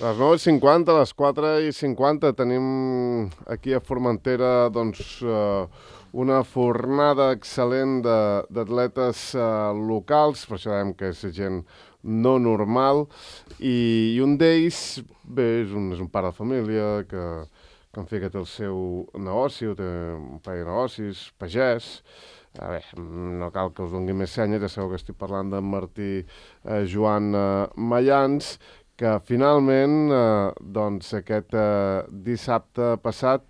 A les 9:50, a les 4:50 tenim aquí a Formentera una fornada excel·lent d'atletes locals, per això dèiem que és gent no normal, i un d'ells, bé, és un pare de família que en fi que té el seu negoci, té un parell de negocis, pagès. A veure, no cal que us doni més senyes, ja sabeu que estic parlant d'en Martí Joan Mayans, que finalment, aquest dissabte passat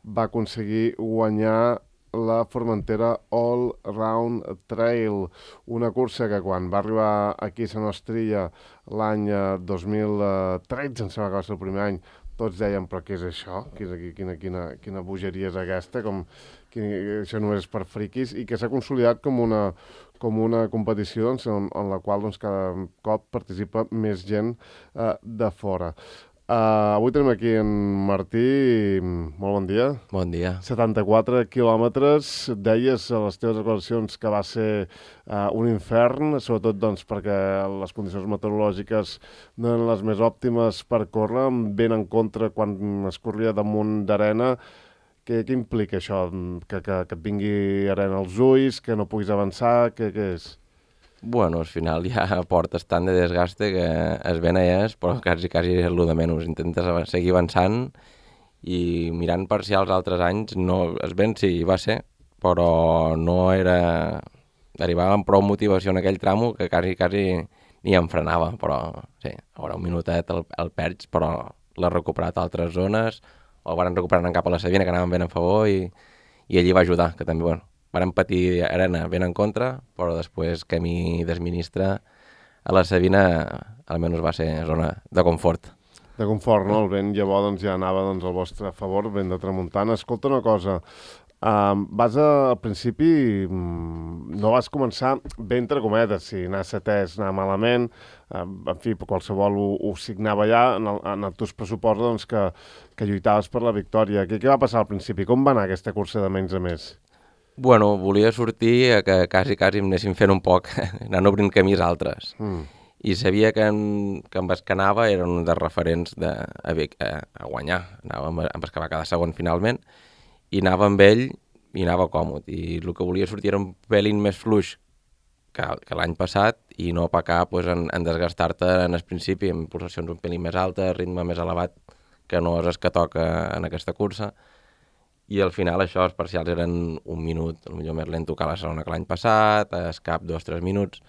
va aconseguir guanyar la Formentera All Round Trail, una cursa que quan va arribar aquí a Sant Ostrilla l'any 2013, em sembla que va ser el primer any, tots deien, però què és això? Quina bogeria és aquesta? Això només és per friquis, i que s'ha consolidat com una competició en la qual cada cop participa més gent de fora. Avui tenim aquí en Martí. Molt bon dia. Bon dia. 74 quilòmetres. Deies a les teves declaracions que va ser un infern, sobretot perquè les condicions meteorològiques no eren les més òptimes per córrer, ben en contra quan es corria damunt d'arena. Què implica això? Que et vingui arena als ulls, que no puguis avançar? Què és? Bueno, al final ja portes tant de desgaste que es ven és, però quasi és el de menys. Intentes seguir avançant i mirant per si els altres anys no es ven, sí, va ser, però no era... Arribava amb prou motivació en aquell tramo que quasi ni em frenava, però sí, ara un minutet el perds, però l'ha recuperat a altres zones, o el van recuperar cap a la Sabina, que anaven ben a favor, i allí va ajudar, que també, bueno, van patir arena ben en contra, però després que mi desministra a la Sabina almenys va ser zona de confort. De confort, no? El vent llavors ja anava al vostre favor, vent de tramuntana. Escolta una cosa, al principi no vas començar bé entre cometes, si anar setès, anar malament, en fi, qualsevol ho signava ja, en els teus pressuposts que lluitaves per la victòria. Què va passar al principi? Com va anar aquesta cursa de menys a més? Bueno, volia sortir que quasi em anessin fent un poc, anant obrint camins altres. I sabia que amb els que anava eren un dels referents a guanyar. Amb els que va quedar segon finalment, i anava amb ell i anava còmode. I el que volia sortir era un pelín més fluix que l'any passat i no pecar en desgastar-te en el principi, amb pulsacions un pelín més altes, ritme més elevat, que no és el que toca en aquesta cursa. I al final això, els parcials eren un minut, potser més lento que la segona que l'any passat, es cap 2-3 minuts,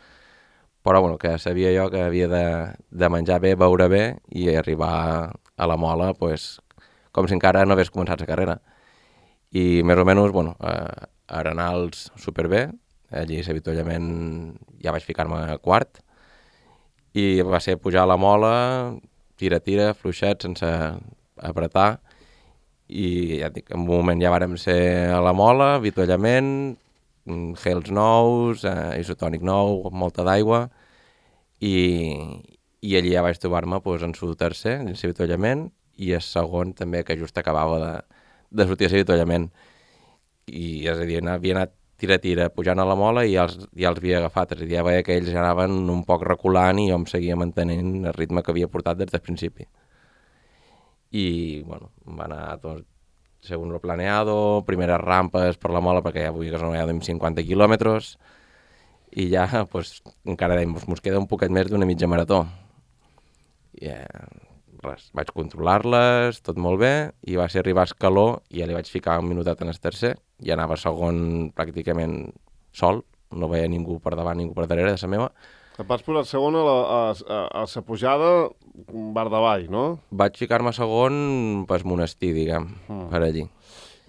però bueno, que sabia jo que havia de menjar bé, beure bé i arribar a la mola com si encara no hagués començat la carrera. I més o menys, bueno, arenals superbé, allí l'avituallament ja vaig ficar-me quart, i va ser pujar a la mola, tira, fluixet, sense apretar, i ja dic, en un moment ja vàrem ser a la mola, avituallament, gels nous, isotònic nou, molta d'aigua, i allí ja vaig trobar-me en el tercer, dins l'avituallament, i el segon també, que just acabava de sortir a l'avituallament. I és a dir, havia anat tira, pujant a la mola i ja els havia agafat, és a dir, ja veia que ells ja anaven un poc reculant i jo em seguia mantenint el ritme que havia portat des del principi. I, bueno, va anar tot segons lo planeado, primeres rampes per la mola, perquè ja vull que no hi ha 50 quilòmetres, i ja, encara dèiem, mos queda un poquet més d'una mitja marató. I res, vaig controlar-les, tot molt bé, i va ser arribar a Escaló, i ja li vaig ficar un minutet en el tercer, i anava segon pràcticament sol, no veia ningú per davant, ningú per darrere de la meva. Et vas posar segon a la pujada bar davall, no? Vaig ficar-me segon pel monestir, diguem, per allí.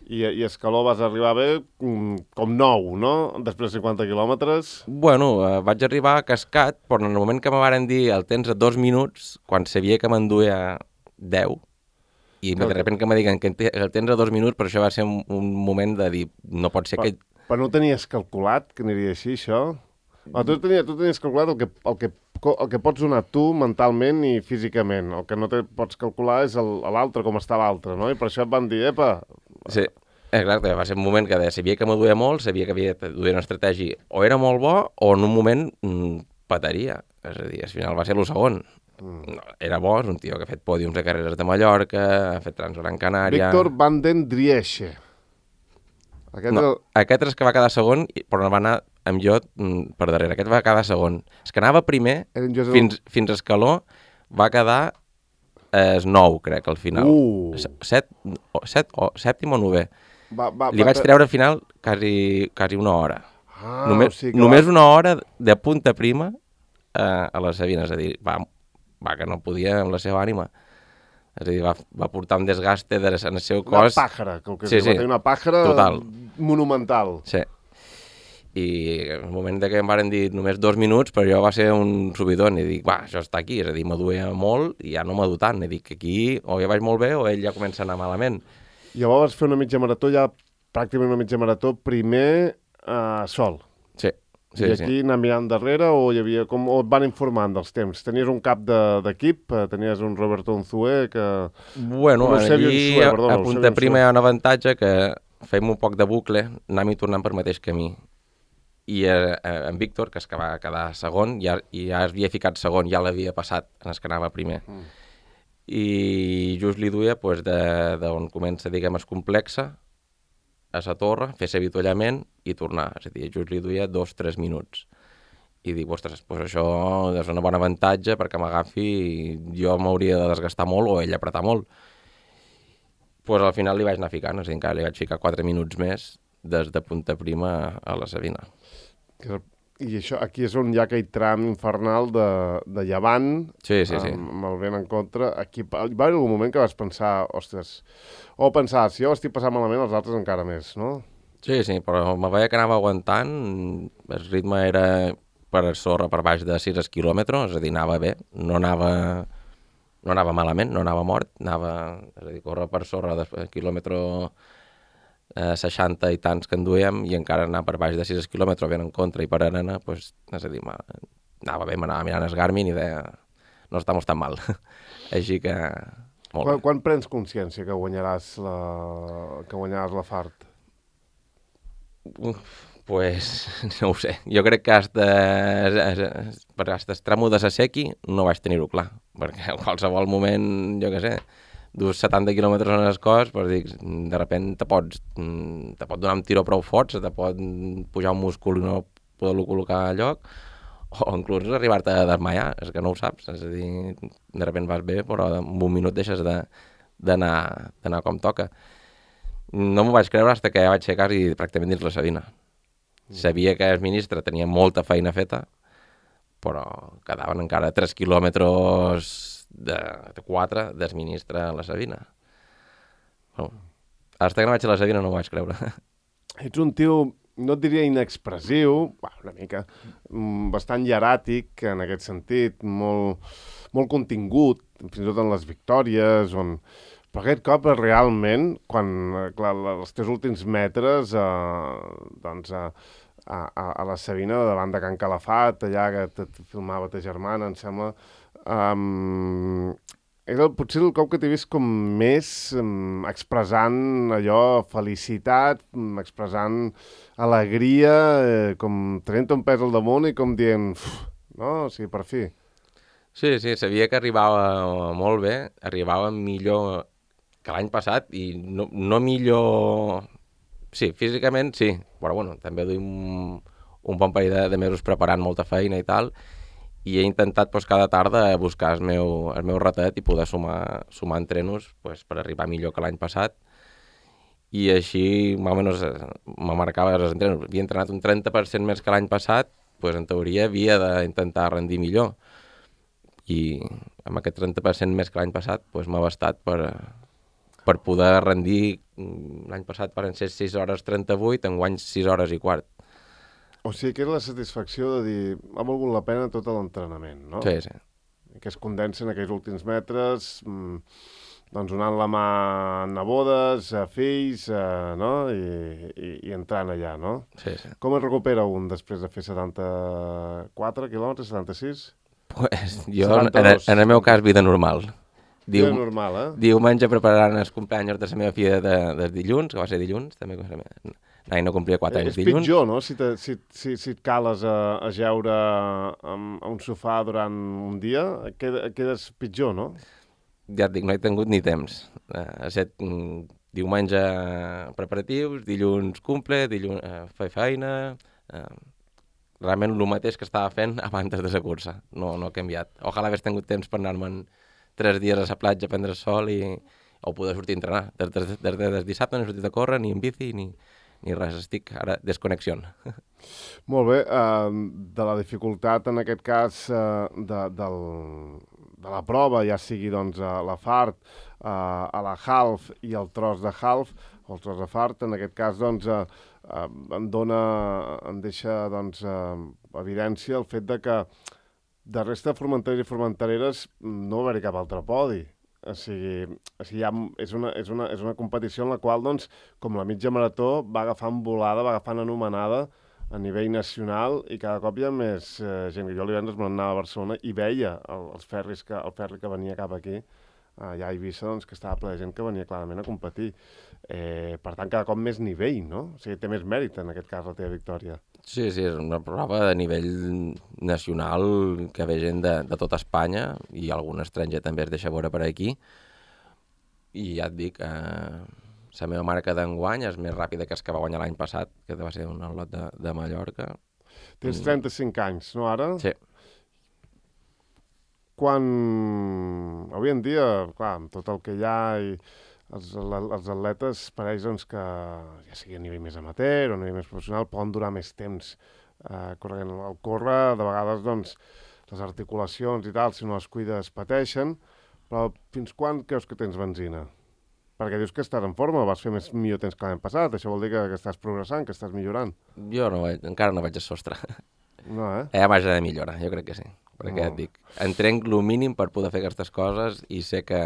I Escaló vas arribar bé com nou, no? Després de 50 quilòmetres. Bueno, vaig arribar cascat, però en el moment que me varen dir el tens a 2 minuts, quan sabia que m'enduia 10, i de sobte que me diguen que el tens a 2 minuts, però això va ser un moment de dir, no pot ser que... Però no tenies calculat que aniria així, això? Tu tenies calculat el que pots donar tu mentalment i físicament. El que no pots calcular és l'altre, com està l'altre, no? I per això et van dir, epa... Sí, exacte, va ser un moment que sabia que m'ho duia molt, sabia que havia de duia una estratègia o era molt bo o en un moment pataria. És a dir, al final va ser el segon. No, era bo, és un tio que ha fet pòdiums de carreres de Mallorca, ha fet Transgran Canària... Víctor Van den Drieche. Aquest és que va quedar segon, però no va anar amb jo per darrere. Aquest va quedar segon. És que anava primer, fins a Escaló, va quedar nou, crec, al final. Sèptim o novè. Li vaig treure al final quasi una hora. Només una hora de punta prima a la Sabina, és a dir, va que no podia amb la seva ànima. És a dir, va portar un desgaste en el seu cos... Una pàjara, que va tenir una pàjara total. Monumental. Sí. I en el moment que em van dir només 2 minuts, però jo va ser un subidon, i dic, això està aquí, és a dir, m'aduia molt i ja no m'adu tant, i dic, aquí o ja vaig molt bé o ell ja comença a anar malament. Llavors vas fer una mitja marató, ja pràcticament una mitja marató, primer sol. Sí. I aquí anar mirant darrere o hi havia o et van informant dels temps? Tenies un cap d'equip? Tenies un Roberto Unzué que... Bueno, aquí a punta prima hi ha un avantatge que fem un poc de bucle, anem i tornant per mateix camí. I en Víctor, que és que va quedar segon, ja havia ficat segon, ja l'havia passat en el que anava primer. I just li duia d'on comença, diguem, es complexa, a la torre, fer l'avituallament i tornar. És a dir, just li duia 2-3 minuts. I dic, ostres, això és un bon avantatge perquè m'agafi, jo m'hauria de desgastar molt o ell apretar molt. Al final li vaig anar ficant, és a dir, encara li vaig ficar 4 minuts més des de punta prima a la Sabina. I això, aquí és on hi ha aquell tram infernal de llevant, sí. amb el vent en contra. Aquí va haver algun moment que vas pensar, ostres, si jo estic passant malament, els altres encara més, no? Sí, però me veia que anava aguantant, el ritme era per sorra per baix de 6 quilòmetres, és a dir, anava bé, no anava malament, no anava mort, és a dir, córrer per sorra de quilòmetre 60 i tants que en duíem i encara anar per baix de 6 quilòmetres ben en contra i per arena, és a dir, anava bé, m'anava mirant el Garmin i deia, no estamos tan mal. Així que... Quan prens consciència que guanyaràs la Fart? Pues no ho sé. Jo crec que per el tramo de Sasequi no vaig tenir-ho clar, perquè en qualsevol moment, jo què sé, dus 70 quilòmetres en el cos, però dic, de sobte te pot donar un tiró prou fort, te pot pujar un múscul i no poder-lo col·locar a lloc, o inclús arribar-te a desmaiar, és que no ho saps, és a dir, de sobte vas bé, però en un minut deixes d'anar com toca. No m'ho vaig creure fins que ja vaig ser quasi pràcticament dins la Sabina. Sabia que el ministre tenia molta feina feta, però quedaven encara 3 quilòmetres de 4 del ministre a la Sabina. Bueno, fins que no vaig a la Sabina no m'ho vaig creure. Ets un tio, no et diria inexpressiu, una mica, bastant hieràtic en aquest sentit, molt contingut, fins i tot en les victòries, però aquest cop realment, quan els teus últims metres a la Sabina, davant de Can Calafat, allà que et filmava ta germana, em sembla, era potser el cop que t'he vist com més expressant allò, felicitat, expressant alegria, com tenint un pes al damunt i com dient, no, o sigui, per fi. Sí, sabia que arribava molt bé, arribava millor que l'any passat i no millor... Sí, físicament sí, però bueno, també duim un bon parell de mesos preparant molta feina i tal, i he intentat cada tarda buscar el meu ratet i poder sumar entrenos per arribar millor que l'any passat, i així més o menys me marcava els entrenos. Havia entrenat un 30% més que l'any passat, en teoria havia d'intentar rendir millor, i amb aquest 30% més que l'any passat m'ha bastat per poder rendir. L'any passat van ser 6 hores 38, enguany 6 hores i quart. O sigui que era la satisfacció de dir ha valgut la pena tot l'entrenament, no? Sí. Que es condensen aquells últims metres, donant la mà a nebodes, a fills, no? I entrant allà, no? Sí. Com es recupera un després de fer 74 quilòmetres, 76? Jo, en el meu cas, vida normal. Vida normal, Diumenge preparant els cumpleaños de la meva filla de dilluns, que va ser dilluns, també l'any no complia 4 anys És dilluns. pitjor, no?, si et cales a jeure a un sofà durant un dia, quedes pitjor, no? Ja et dic, no he tingut ni temps. Diumenge preparatius, dilluns cumple, dilluns fer feina... Realment el mateix que estava fent abans de la cursa. No ha canviat. Ojalà hagués tingut temps per anar-me'n 3 dies a la platja a prendre sol o poder sortir a entrenar. Des de dissabte no he sortit a córrer, ni en bici, ni res. Estic ara desconnexió. Molt bé. De la dificultat, en aquest cas, de la prova, ja sigui doncs, a la fart, a la half i el tros de half, o el tros de fart, en aquest cas, doncs, em deixa doncs, evidència el fet de que de resta de formenteres i formentereres no va haver-hi cap altre podi. O sigui és una competició en la qual, doncs, com la mitja marató, va agafant volada, va agafant anomenada a nivell nacional i cada cop hi ha més gent. Jo divendres me n'anava a Barcelona i veia el ferri que venia cap aquí, allà a Eivissa, doncs, que estava ple de gent que venia clarament a competir. Per tant, cada cop més nivell, no? O sigui, té més mèrit, en aquest cas, la teva victòria. Sí, és una prova de nivell nacional que ve gent de tota Espanya i algun estranger també es deixa veure per aquí. I ja et dic, la meva marca d'enguany és més ràpida que el que va guanyar l'any passat, que va ser un lot de Mallorca. Tens 35 anys, no, ara? Sí. Quan avui en dia, clar, amb tot el que hi ha i els atletes pareix doncs, que ja sigui a nivell més amateur o a nivell més professional poden durar més temps corrent. El córrer, de vegades, doncs, les articulacions i tal, si no les cuides, pateixen, però fins quan creus que tens benzina? Perquè dius que estàs en forma, vas fer millor temps que l'any passat, això vol dir que estàs progressant, que estàs millorant. Jo encara no vaig a sostre. No, Hi ha marge de millora, jo crec que sí. Perquè et dic, entrenc el mínim per poder fer aquestes coses i sé que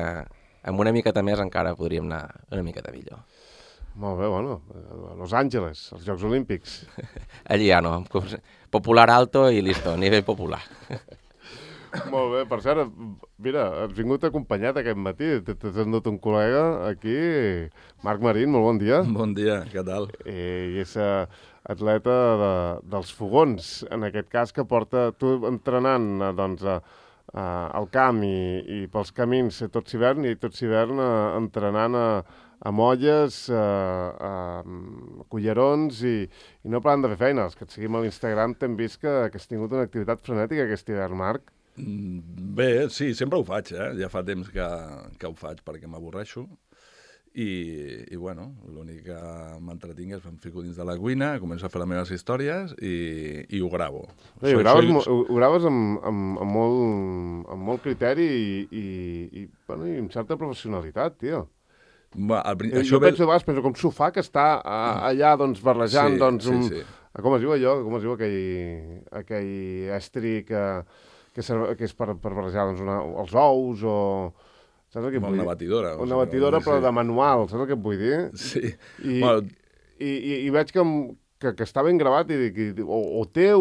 amb una miqueta més encara podríem anar una miqueta millor. Molt bé, bueno, Los Angeles, els Jocs Olímpics. Allí ja no, popular alto i listo, nivell popular. Molt bé, per cert, mira, has vingut acompanyat aquest matí, t'has endut un col·lega aquí, Marc Marín, molt bon dia. Bon dia, què tal? I és atleta dels fogons, en aquest cas, que porta tu entrenant doncs, al camp i pels camins tot l'hivern, i tot l'hivern entrenant a molles, a cullerons i no parant de fer feina. Els que et seguim a l'Instagram t'hem vist que has tingut una activitat frenètica aquest hivern, Marc. Bé, sí, sempre ho faig, ja fa temps que ho faig perquè m'avorreixo i bueno, l'únic que m'entretinc és em fico dins de la cuina, començo a fer les meves històries i ho gravo. Ho graves amb molt criteri i amb certa professionalitat, tio. Jo penso com s'ho fa que està allà doncs, barrejant com es diu allò, com es diu aquell estri que és per barrejar doncs, els ous o... Saps el que vull dir? Una batidora. Una batidora, però de manual, saps el que et vull dir? Sí. I veig que està ben gravat i dic, o té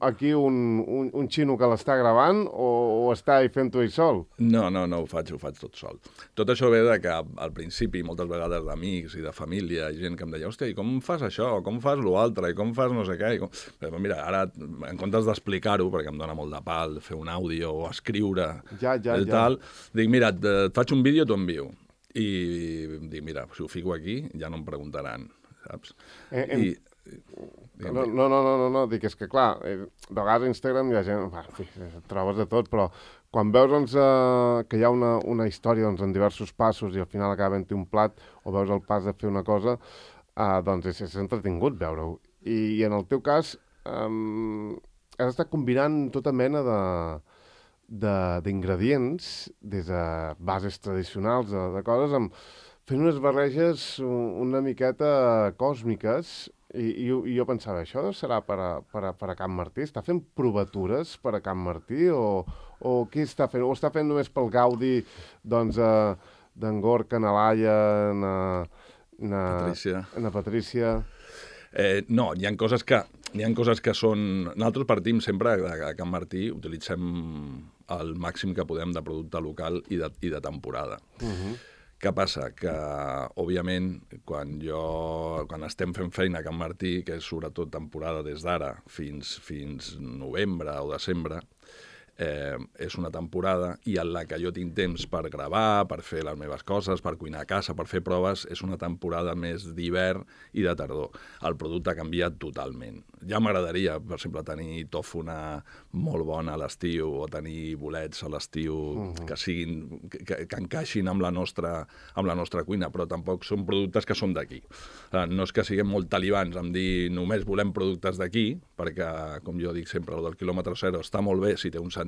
aquí un xino que l'està gravant o està fent-ho ell sol? No, ho faig tot sol. Tot això ve de que al principi, moltes vegades d'amics i de família, i gent que em deia, hòstia, i com fas això? Com fas l'altre? I com fas no sé què? Però mira, ara, en comptes d'explicar-ho, perquè em dona molt de pal fer un àudio o escriure tal, dic, mira, et faig un vídeo, t'ho envio. I dic, mira, si ho fico aquí, ja no em preguntaran, saps? No, dic, és que clar, de vegades a Instagram hi ha gent, en fi, trobes de tot, però quan veus doncs, que hi ha una història doncs, en diversos passos i al final acaba havent-hi un plat o veus el pas de fer una cosa, doncs és entretingut veure-ho. I en el teu cas has estat combinant tota mena d'ingredients, des de bases tradicionals, de coses, fent unes barreges una miqueta còsmiques. I jo pensava, això serà per a Can Martí? Està fent provatures per a Can Martí? O què està fent? O està fent només pel gaudi doncs, d'en Gorka, na Laia, na Patrícia? No, hi ha coses que són... Nosaltres partim sempre a Can Martí, utilitzem el màxim que podem de producte local i de temporada. Què passa? Que, òbviament, quan estem fent feina a Can Martí, que és sobretot temporada des d'ara fins novembre o desembre, és una temporada i en la que jo tinc temps per gravar, per fer les meves coses, per cuinar a casa, per fer proves, és una temporada més d'hivern i de tardor. El producte ha canviat totalment. Ja m'agradaria, per exemple, tenir tòfona molt bona a l'estiu o tenir bolets a l'estiu que encaixin amb la nostra cuina, però tampoc són productes que són d'aquí. No és que siguem molt talibans en dir només volem productes d'aquí, perquè, com jo dic sempre, el del quilòmetre zero està molt bé si té un sentit.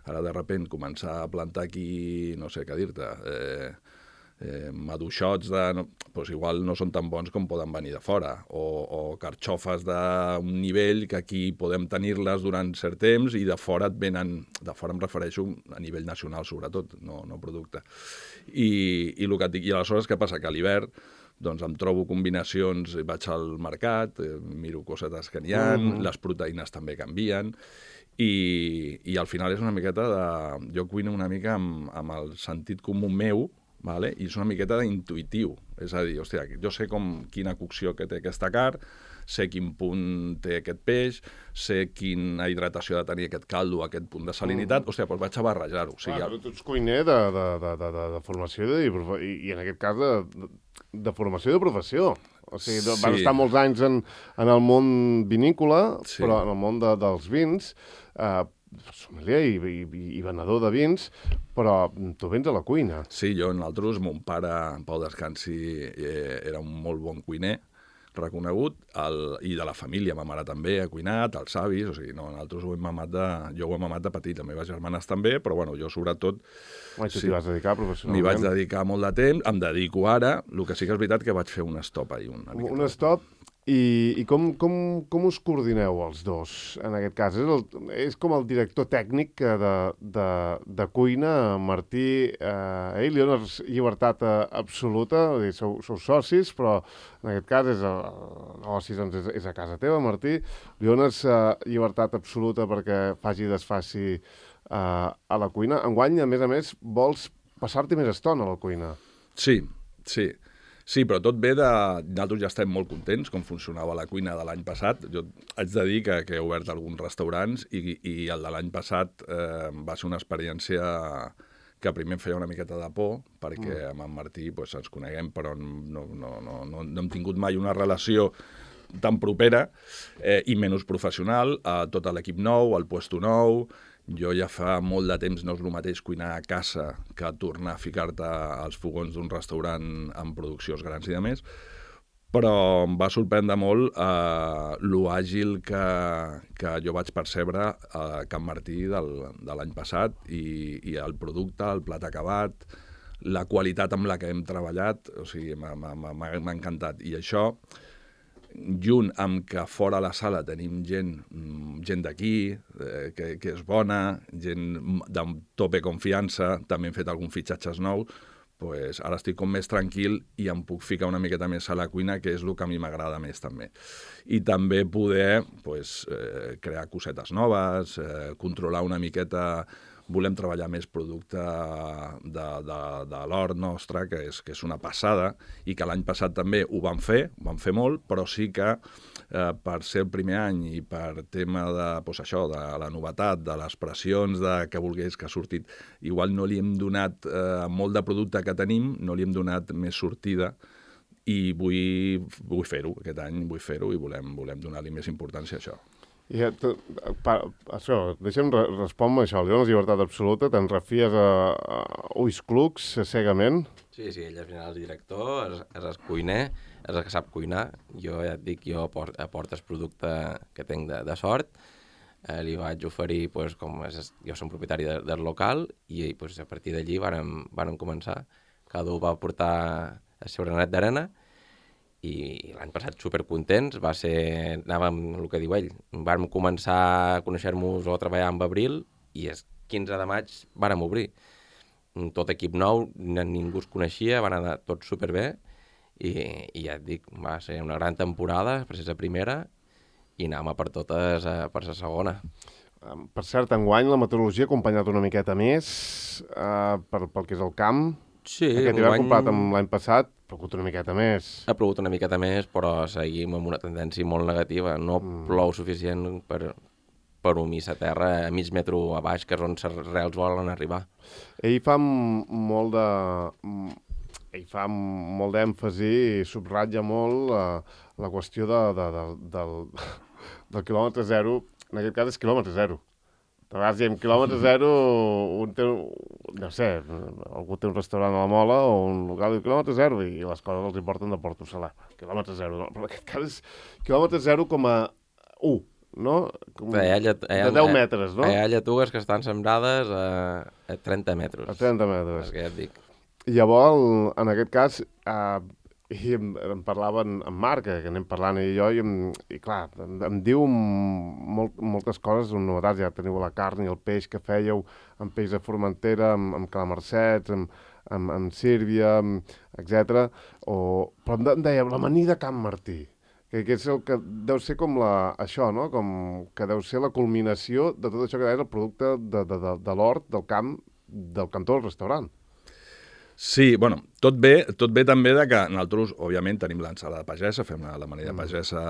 Ara, de sobte, començar a plantar aquí, no sé què dir-te, maduixots doncs igual no són tan bons com poden venir de fora, o carxofes d'un nivell que aquí podem tenir-les durant cert temps i de fora et venen, de fora em refereixo a nivell nacional sobretot, no producte. I el que et dic, i aleshores què passa? Que a l'hivern doncs em trobo combinacions, vaig al mercat, miro cosetes que n'hi ha, les proteïnes també canvien, i al final és una miqueta de... Jo cuino una mica amb el sentit comú meu, vale? I és una miqueta d'intuitiu. És a dir, hòstia, jo sé quina cocció que té aquesta carn, sé quin punt té aquest peix, sé quina hidratació ha de tenir aquest caldo, aquest punt de salinitat, hòstia, doncs vaig a barrejar-ho. O sigui, però tu ets cuiner de formació i en aquest cas de formació i de professió. O sigui, vas estar molts anys en el món vinícola, però en el món dels vins, sommelier i venedor de vins, però tu vens a la cuina. Sí, nosaltres, mon pare, en pau descansi, era un molt bon cuiner, reconegut, i de la família, ma mare també ha cuinat, els avis, o sigui, nosaltres jo ho he mamat de petit, les meves germanes també, però bueno, jo sobretot... Tu t'hi vas dedicar professionalment? M'hi vaig dedicar molt de temps, em dedico ara, el que sí que és veritat que vaig fer un stop ahir. Un stop, i com us coordineu els dos, en aquest cas? És com el director tècnic de cuina, Martí, ell li dones llibertat absoluta, sou socis, però en aquest cas l'oci és a casa teva, Martí, li dones llibertat absoluta perquè faci i desfaci a la cuina. Enguany, a més, vols passar-t'hi més estona a la cuina. Sí, però tot ve de... Nosaltres ja estem molt contents com funcionava la cuina de l'any passat. Jo haig de dir que he obert alguns restaurants i el de l'any passat va ser una experiència que primer em feia una miqueta de por, perquè amb en Martí ens coneguem, però no hem tingut mai una relació tan propera i menys professional. Tot l'equip nou, el puesto nou... Jo ja fa molt de temps no és el mateix cuinar a casa que tornar a ficar-te als fogons d'un restaurant amb produccions grans i de més, però em va sorprendre molt lo àgil que jo vaig percebre a Can Martí de l'any passat i el producte, el plat acabat, la qualitat amb la que hem treballat, o sigui, m'ha encantat. I això, junt amb que fora a la sala tenim gent d'aquí, que és bona, gent de tope confiança, també hem fet alguns fitxatges nous, doncs ara estic com més tranquil i em puc ficar una miqueta més a la cuina, que és el que a mi m'agrada més també. I també poder crear cosetes noves, controlar una miqueta... Volem treballar més producte de l'hort nostre, que és una passada, i que l'any passat també ho vam fer molt, però sí que per ser el primer any i per tema de la novetat, de les pressions, de què volgués que ha sortit, igual no li hem donat molt de producte que tenim, no li hem donat més sortida, i vull fer-ho, aquest any vull fer-ho i volem donar-li més importància a això. Deixa'm respondre això. Li dones llibertat absoluta, te'n refies a ulls clucs, cegament? Sí, ell al final és director, és cuiner, és el que sap cuinar. Jo ja et dic, jo aportes producte que tinc de sort, li vaig oferir, jo som propietari del local, i a partir d'allí vàrem començar. Cada un va portar el seu granet d'arena, i l'any passat supercontents, anàvem, el que diu ell, vam començar a conèixer-nos o a treballar en abril i el 15 de maig vàrem obrir. Tot equip nou, ningú es coneixia, van anar tots superbé i ja et dic, va ser una gran temporada, per ser la primera, i anàvem per totes per la segona. Per cert, enguany la meteorologia ha acompanyat una miqueta més pel que és el camp. Sí, Aquest hivern comparat amb l'any passat, ha plogut una miqueta més. Ha plogut una miqueta més, però seguim amb una tendència molt negativa. No plou suficient per humir la terra a mig metre a baix, que és on les rels volen arribar. Ell fa molt d'èmfasi i subratlla molt la qüestió del quilòmetre zero. En aquest cas és quilòmetre zero. A vegades diem quilòmetre zero, un té, no sé, algú té un restaurant a la Mola o un local de quilòmetre zero i les coses els importen de Porto Salà. Quilòmetre zero, no? Però en aquest cas és quilòmetre 0,1, no? De 10 metres, no? Hi ha lletugues que estan sembrades a 30 metres. A 30 metres. És que ja et dic. Llavors, en aquest cas, i em parlava en Marc, que anem parlant ell i jo, i clar, em diu moltes coses, novetats, ja teniu la carn i el peix que fèieu, amb peix de Formentera, amb calamarsets, amb sírbia, etc. Però em deia, l'amanida Can Martí, que és el que deu ser com això, no? Com que deu ser la culminació de tot això que és el producte de l'hort, del camp, del cantó del restaurant. Sí, bueno, tot bé també de que nosaltres, òbviament, tenim l'ensalada pagesa, fem l'amanida pagesa...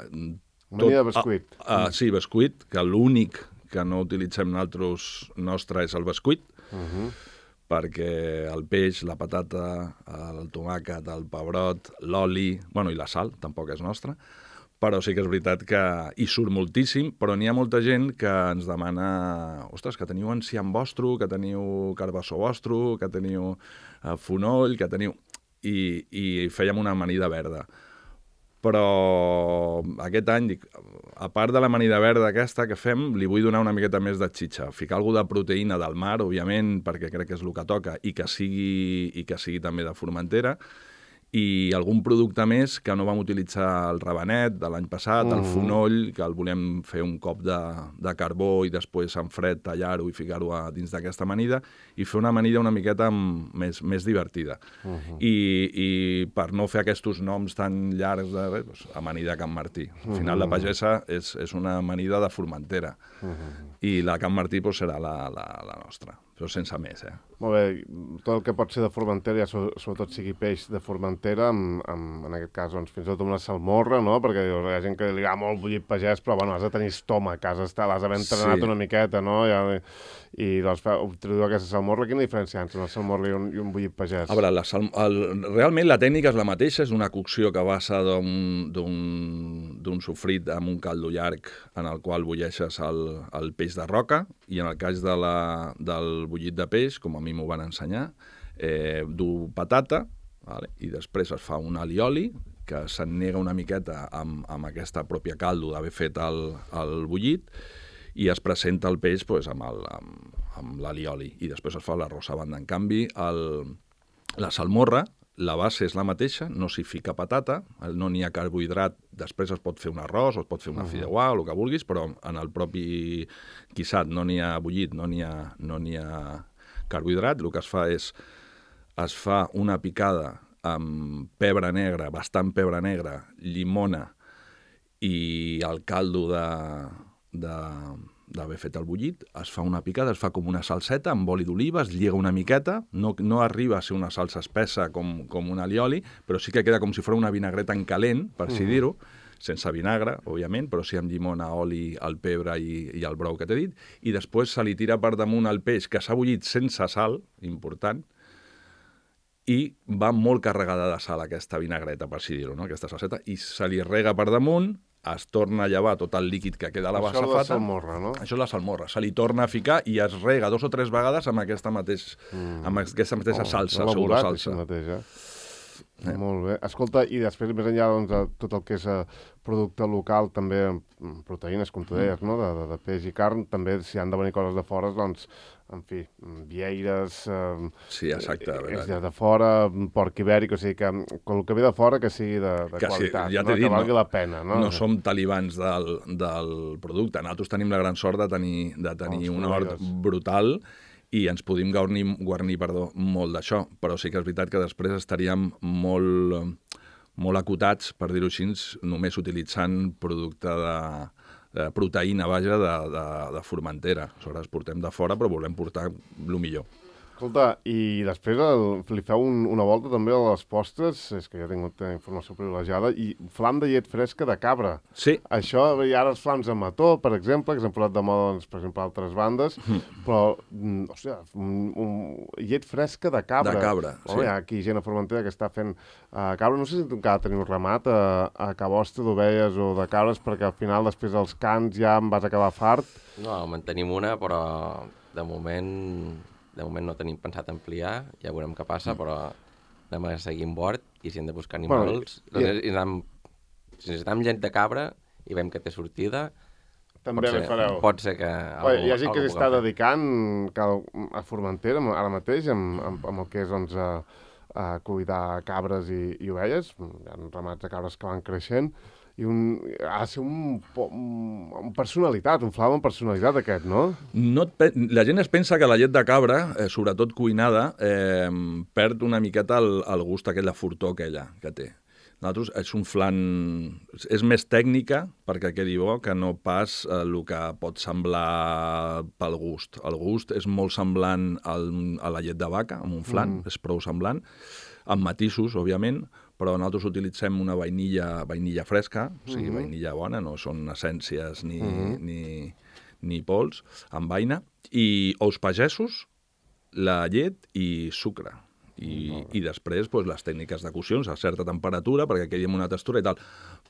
Amanida de bescuit. Sí, bescuit, que l'únic que no utilitzem nosaltres nostre és el bescuit, perquè el peix, la patata, el tomàquet, el pebrot, l'oli, bueno, i la sal, tampoc és nostra, però sí que és veritat que hi surt moltíssim, però n'hi ha molta gent que ens demana, ostres, que teniu enciam vostre, que teniu carbassó vostre, que teniu fonoll, que teniu... I fèiem una amanida verda. Però aquest any, dic, a part de l'amanida verda aquesta que fem, li vull donar una miqueta més de xitxa. Ficar alguna de proteïna del mar, òbviament, perquè crec que és el que toca, i que sigui també de Formentera, i algun producte més que no vam utilitzar el rabanet de l'any passat, el fonoll, que el volem fer un cop de carbó i després en fred tallar-ho i ficar-ho dins d'aquesta amanida i fer una amanida una miqueta més divertida. I per no fer aquests noms tan llargs de amanida Can Martí. Al final la pagesa és una amanida de Formentera i la Can Martí serà la nostra, però sense més, Molt bé, tot el que pot ser de Formentera, ja sobretot sigui peix de Formentera, en aquest cas, doncs, fins i tot una salmorra, no? Perquè hi ha gent que li agrada molt bullit pagès, però, bueno, has de tenir estómac, l'has d'haver entrenat una miqueta, no? I doncs, introduir aquesta salmorra, quina diferència hi ha entre una salmorra i un bullit pagès? A veure, realment la tècnica és la mateixa, és una cocció que basa d'un sofrit amb un caldo llarg en el qual bulleixes el peix de roca, i en el cas del bullit de peix, com a mi m'ho van ensenyar, du patata, vale? I després es fa un alioli, que s'ennega una miqueta amb aquesta pròpia caldo d'haver fet el bullit, i es presenta el peix pues, amb l'alioli, i després es fa l'arròs a banda. En canvi, la salmorra, la base és la mateixa, no s'hi fica patata, no n'hi ha carbohidrat, després es pot fer un arròs, o es pot fer una fideuà, o el que vulguis, però en el propi guisat no n'hi ha bullit, no n'hi ha carbohidrat. El que es fa és, es fa una picada amb pebre negre, bastant pebre negre, llimona i el caldo d'haver fet el bullit, es fa una picada, es fa com una salseta amb oli d'oliva, es lliga una miqueta, no arriba a ser una salsa espessa com un alioli, però sí que queda com si fos una vinagreta en calent, per així dir-ho, sense vinagre, òbviament, però sí amb llimona, oli, el pebre i el brou que t'he dit, i després se li tira per damunt el peix que s'ha bullit sense sal, important, i va molt carregada de sal aquesta vinagreta, per així dir-ho, no? Aquesta salseta, i se li rega per damunt, es torna a llevar tot el líquid que queda a la safata. Això és la salmorra, no? Això és la salmorra. Se li torna a ficar i es rega 2 o 3 vegades amb aquesta mateixa salsa, pseudosalsa. Molt bé. Escolta, i després, més enllà doncs, de tot el que és producte local, també proteïnes, com tu deies, no? de peix i carn, també si han de venir coses de fora, doncs, en fi, vieires... Sí, exacte. De fora, porc ibèric, o sigui que el que ve de fora que sigui de qualitat, sí, ja no? Que valgui la pena. No som talibans del producte. Nosaltres tenim la gran sort de tenir un hort brutal i ens podem guarnir molt d'això, però sí que és veritat que després estaríem molt acotats, per dir-ho així, només utilitzant producte de proteïna, vaja, de Formentera. Aleshores, portem de fora, però volem portar el millor. Escolta, i després li feu una volta també a les postres, és que jo he tingut informació privilegiada, i flam de llet fresca de cabra. Sí. Això, i ara els flams de mató, per exemple, que s'han posat de moda, doncs, per exemple, a altres bandes, però, hòstia, llet fresca de cabra. De cabra, sí. Hi ha aquí gent a Formentera que està fent cabra. No sé si tu encara teniu ramat a Cabostre d'ovelles o de cabres, perquè al final, després dels cants, ja em vas acabar fart. No, en tenim una, però de moment no tenim pensat ampliar, ja veurem què passa, però anem a seguir en bord i si hem de buscar animals... Si necessitem gent de cabra i veiem que té sortida, també li fareu. Pot ser que... Hi ha gent que s'està dedicant a Formentera ara mateix amb el que és doncs, a cuidar cabres i ovelles. Hi ha ramats de cabres que van creixent i ha de ser un personalitat, un flam amb personalitat aquest, no? La gent es pensa que la llet de cabra, sobretot cuinada, perd una miqueta el gust aquell, la fortor aquella que té. Nosaltres és un flan... És més tècnica, perquè quedi bo, que no pas el que pot semblar pel gust. El gust és molt semblant a la llet de vaca, amb un flan, és prou semblant, amb matisos, òbviament, però nosaltres utilitzem una vainilla fresca, o sigui, vainilla bona, no són essències ni pols, amb vaina, i ous pagesos, la llet i sucre. I després les tècniques de cocció a certa temperatura perquè quedi amb una textura i tal.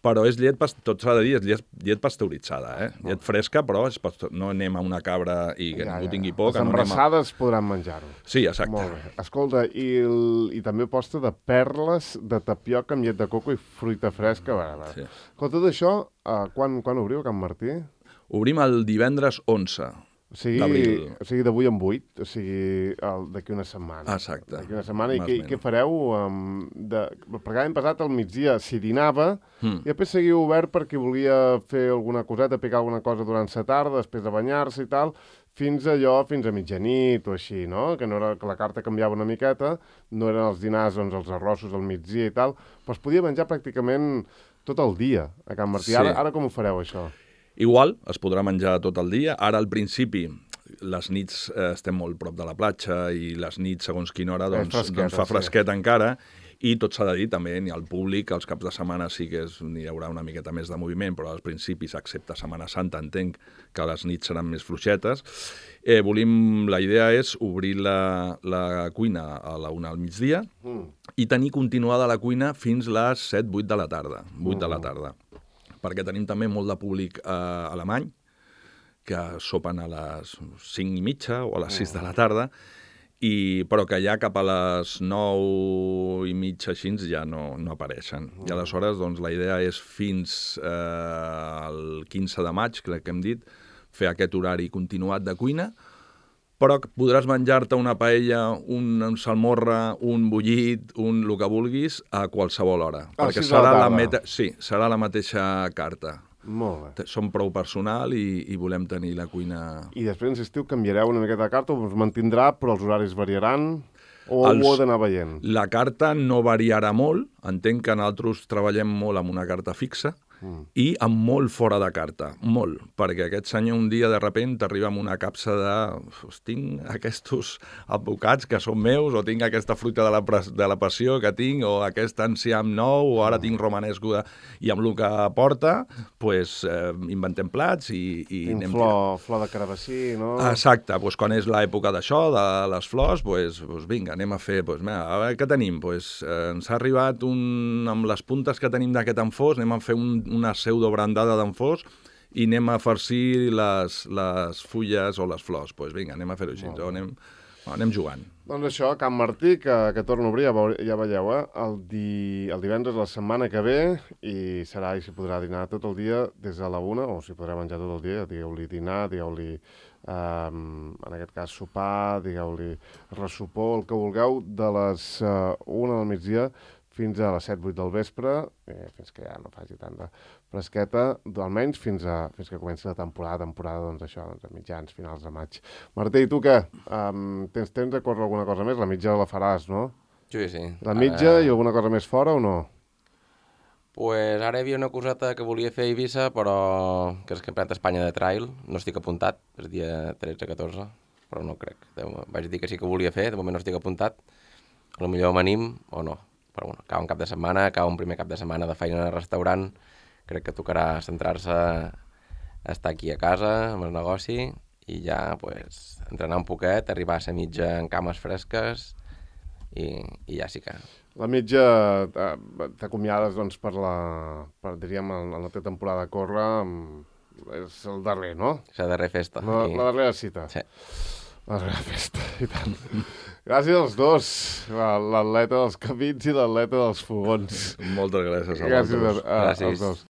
Però és llet, tot s'ha de dir, és llet pasteuritzada, llet fresca, però no anem a una cabra i que ningú tingui por. Les embrassades podran menjar-ho. Sí, exacte. Molt bé. Escolta, i també posta de perles de tapioca amb llet de coco i fruita fresca. Sí. Tot això, quan obriu a Can Martí? Obrim el divendres 11. O sigui, d'avui en 8, o sigui, d'aquí una setmana. Exacte. D'aquí una setmana. I què fareu? Perquè l'any passat al migdia s'hi dinava i després seguia obert per qui volia fer alguna coseta, picar alguna cosa durant la tarda, després de banyar-se i tal, fins a mitjanit o així, no? Que la carta canviava una miqueta, no eren els dinars, doncs els arrossos al migdia i tal, però es podia menjar pràcticament tot el dia a Can Martí. Sí. Ara com ho fareu, això? Igual, es podrà menjar tot el dia. Ara, al principi, les nits estem molt prop de la platja i les nits, segons quina hora, doncs fa fresquet encara. I tot s'ha de dir, també, ni al públic, els caps de setmana sí que hi haurà una miqueta més de moviment, però als principis, excepte Setmana Santa, entenc que les nits seran més fluixetes. La idea és obrir la cuina a la 1 al migdia i tenir continuada la cuina fins les 7-8 de la tarda. 8 de la tarda. Perquè tenim també molt de públic alemany, que sopen a les 5:30 o a les 6 de la tarda, però que ja cap a les 9:30 així ja no apareixen. I aleshores doncs, la idea és fins al 15 de maig, crec que hem dit, fer aquest horari continuat de cuina, però podràs menjar-te una paella, un salmorra, un bullit, el que vulguis, a qualsevol hora. Perquè serà la mateixa carta. Molt bé. Som prou personal i volem tenir la cuina... I després, en estiu, canviareu una miqueta de carta, us mantindrà, però els horaris variaran? O ho heu d'anar veient? La carta no variarà molt. Entenc que nosaltres treballem molt amb una carta fixa, i amb molt fora de carta, molt, perquè aquest senyor un dia de repent t'arriba amb una capsa de tinc aquests advocats que són meus, o tinc aquesta fruita de la passió que tinc, o aquest enciam nou, o ara tinc romanesco i amb el que porta, doncs inventem plats i anem flor de carabassí, no? Exacte, doncs quan és l'època d'això, de les flors, doncs vinga, anem a fer, a veure, què tenim? Ens ha arribat amb les puntes que tenim d'aquest enfós, anem a fer una pseudo-brandada d'enfós i anem a farcir les fulles o les flors. Doncs vinga, anem a fer-ho així, anem jugant. Doncs això, Can Martí, que torna a obrir, ja veieu, el divendres la setmana que ve, i s'hi podrà dinar tot el dia des de la 1, o s'hi podrà menjar tot el dia, digueu-li dinar, digueu-li, en aquest cas, sopar, digueu-li ressopor, el que vulgueu, de les 1 del migdia fins a les 7-8 del vespre, fins que ja no faci tanta fresqueta, almenys fins que comenci la temporada doncs això, a mitjans, finals de maig. Martí, i tu què? Tens temps de córrer alguna cosa més? La mitja la faràs, no? Sí. La mitja i alguna cosa més fora o no? Pues ara hi havia una coseta que volia fer a Eivissa, però que és el Campionat d'Espanya de Trail, no estic apuntat, és dia 13-14. però no crec. Vaig dir que sí que ho volia fer, de moment no estic apuntat. Potser m'anim o no. Però bueno, acaba un cap de setmana, acaba un primer cap de setmana de feina al restaurant. Crec que tocarà centrar-se a estar aquí a casa, amb el negoci, i ja pues, entrenar un poquet, arribar a ser mitja en cames fresques, i ja sí que... La mitja t'acomiades doncs, diríem, en la teva temporada a córrer, és el darrer, no? És la darrera festa. La darrera cita. Sí. La darrera festa, i tant. Gràcies als dos, l'atleta dels camins i l'atleta dels fogons. Moltes gràcies a Gràcies vosaltres. als dos.